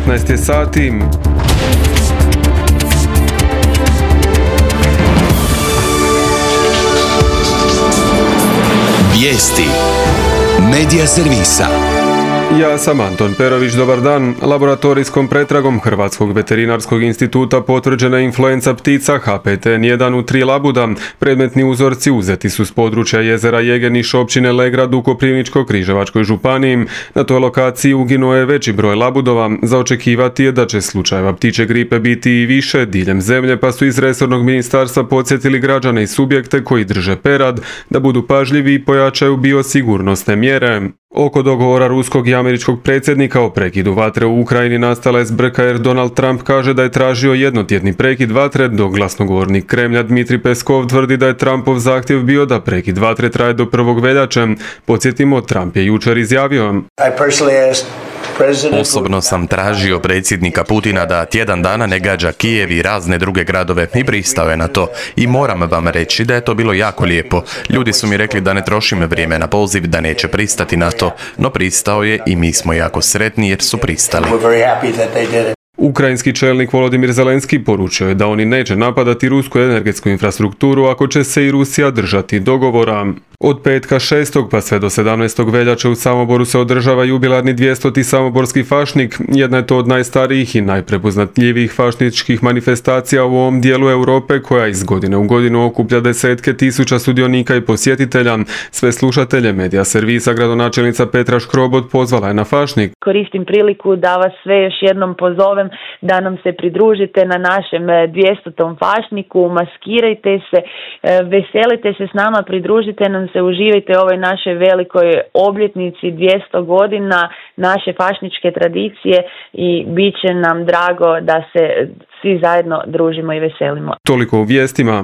15 je sati. Vijesti Medija servisa. Ja sam Anton Perović, dobar dan. Laboratorijskom pretragom Hrvatskog veterinarskog instituta potvrđena je influenca ptica HPTN1 u 3 labuda. Predmetni uzorci uzeti su s područja jezera Jegeniš, općine Legrad u Koprivničko-križevačkoj županiji. Na toj lokaciji uginuo je veći broj labudova. Za očekivati je da će slučajeva ptičje gripe biti i više diljem zemlje, pa su iz resornog ministarstva podsjetili građane i subjekte koji drže perad da budu pažljivi i pojačaju biosigurnosne mjere. Oko dogovora ruskog i američkog predsjednika o prekidu vatre u Ukrajini nastala je zbrka jer Donald Trump kaže da je tražio jednotjedni prekid vatre, dok glasnogovornik Kremlja Dmitrij Peskov tvrdi da je Trumpov zahtjev bio da prekid vatre traje do 1. veljače. Podsjetimo, Trump je jučer izjavio: Osobno sam tražio predsjednika Putina da tjedan dana ne gađa Kijev i razne druge gradove i pristao je na to. I moram vam reći da je to bilo jako lijepo. Ljudi su mi rekli da ne trošim vrijeme na poziv, da neće pristati na to, no pristao je i mi smo jako sretni jer su pristali. Ukrajinski čelnik Volodimir Zelenski poručio je da oni neće napadati rusku energetsku infrastrukturu ako će se i Rusija držati dogovora. Od petka 6. pa sve do 17. veljače u Samoboru se održava jubilarni 200. Samoborski fašnik. Jedna je to od najstarijih i najprepoznatljivijih fašničkih manifestacija u ovom dijelu Europe, koja iz godine u godinu okuplja desetke tisuća sudionika i posjetitelja. Sve slušatelje Medija servisa gradonačelnica Petra Škrobot pozvala je na fašnik. Koristim priliku da vas sve još jednom pozovem da nam se pridružite na našem 200. fašniku, maskirajte se, veselite se s nama, pridružite nam se, uživajte u ovoj našoj velikoj obljetnici 200 godina naše fašničke tradicije i bit će nam drago da se svi zajedno družimo i veselimo. Toliko u vijestima.